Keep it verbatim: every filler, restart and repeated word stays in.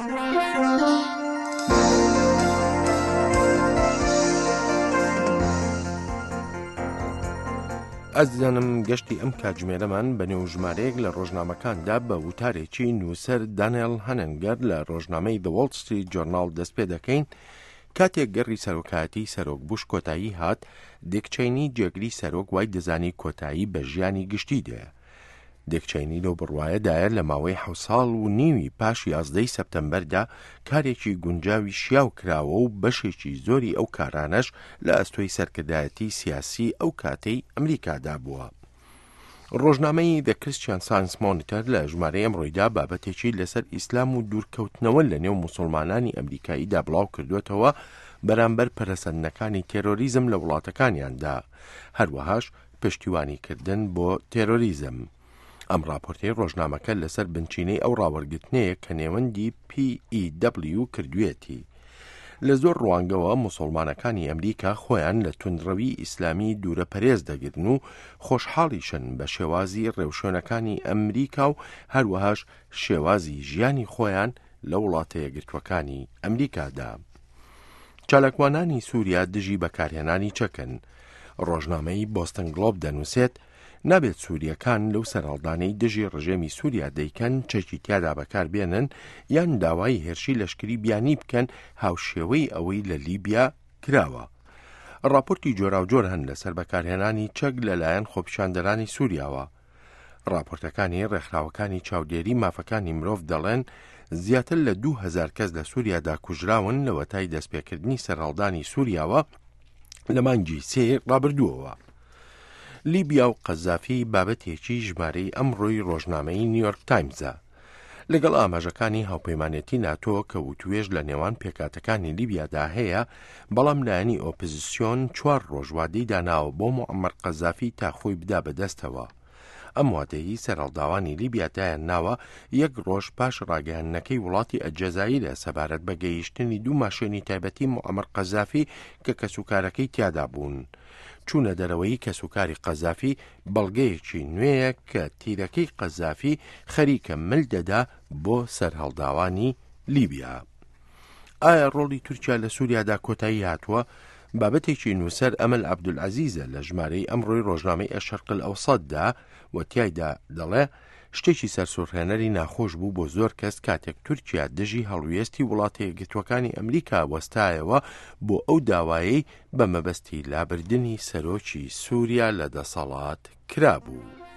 ئازیزانم، گەشتی ئەم کاتژمێرەمان بە نێو ژمارەیەک لە ڕۆژنامەکاندا بە وتارێکی نووسەر دانیێل هەننگەر لە ڕۆژنامەی The Wall Street Journal دەست پێ دەکەین. کاتێک گەڕی سەرۆکایەتی سەرۆک بوش کۆتایی هات، دیک چەینی جێگری سەرۆک وای دەزانی کۆتایی بە ژیانی گشتی دێ. دیک چەینی لەو بڕوایەدایە لە ماوەی حەوت ساڵ و نیوی پاش یازدەی سەپتەمبەردا کارێکی گونجاوی شیاو کراوە و بەشێکی زۆری ئەو کارانەش لە ئەستۆی سەرکردایەتی سیاسی ئەو کاتەی ئەمریکادا بووە. ڕۆژنامەی The Christian Science Monitor لە ژمارەی ئەمڕۆیدا بابەتێکی لەسەر ئیسلام و دوورکەوتنەوە لە نێو موسڵمانانی ئەمریکاییدا بڵاو کردوێتەوە بەرامبەر پەرەسەندنەکانی تێرۆریزم لە وڵاتەکانیاندا، هەروەهاش پشتیوانیکردن بۆ تێرۆریزم. ئەم راپۆرتەی ڕۆژنامەکە لەسەر بنچینەی ئەو ڕاوەرگرتنەیە کە نێوەندی P E W کردوێتی. لە زۆر ڕوانگەوە موسڵمانەکانی ئەمریکا خۆیان لە توندڕەوی ئیسلامی دوورە پەرێز دەگرن و خۆشحاڵیشن بە شێوازی ڕێوشوێنەکانی ئەمریکا و هەروەهاش شێوازی ژیانی خۆیان لە وڵاتە یەکگرتووەکانی ئەمریکادا. چالاکوانانی سووریا دژی بەکارهێنانی چەکن. ڕۆژنامەی بۆستن گلۆب دەنووسێت نابێت سووریەکان لەو سەرهەڵدانەی دژی ڕژێمی سووریا دەیکەن چەکی تیادا بەکاربێنن یان داوای هێرشی لەشکری بیانی بکەن هاوشێوەی ئەوەی لە لیبیا کراوە. راپۆرتی جۆراوجۆر هەن لەسەر بەکارهێنانی چەک لەلایەن خۆپیشاندەرانی سووریاوە. راپۆرتەکانی ڕێکخراوەکانی چاودێری مافەکانی مرۆڤ دەڵێن زیاتر لە دوو هەزار کەس لە سووریادا کوژراون لەوەتای دەستپێکردنی سەرهەڵدانی سووریاوە لە مانگی سێ ڕابردووەوە. لیبیا و قەزافی بابەتێکی ژمارەی ئەمڕۆی ڕۆژنامەی نیویۆرک تایمزە. لەگەڵ ئاماژەکانی هاوپەیمانێتی ناتۆ کە وتوێژ لە نێوان پێکاتەکانی لیبیادا هەیە، بەڵام لایەنی ئۆپۆزیسیۆن چوار ڕۆژ وادەی داناوە بۆ موعەمەر قەزافی تا خۆی بدا بەدەستەوە. ئەم وادەیی سەرهەڵداوانی لیبیا دایان ناوە یەک ڕۆژ پاش ڕاگەیاندنەکەی وڵاتی ئەلجەزایرە سەبارەت بە گەیشتنی دوو ماشێنی تایبەتی موعەمەر قەزافی کە کەسوکارەکەی تیادا بوون. چوونە دەرەوەی کەسوکاری قەزافی بەڵگەیەکی نوێیە کە تیرەکەی قەزافی خەریکە مل دەدا بۆ سەرهەڵداوانی لیبیا. ئایا ڕۆڵی تورکیا لە سووریادا کۆتایی هاتووە؟ بابەتێکی نووسەر ئەمەل عەبدولعەزیزە لە ژمارەی ئەمڕۆی ڕۆژنامەی ئەشەرق ئەوسەتدا و تیایدا دەڵێ شتێکی سەرسوڕهێنەری ناخۆش بوو بۆ زۆر کەس کاتێک تورکیا دژی هەڵوێستی وڵاتە یەکگرتووەکانی ئەمریکا وەستایەوە بۆ ئەو داوایەی بە مەبەستی لابردنی سەرۆکی سووریا لە دەسەڵات کرابوو.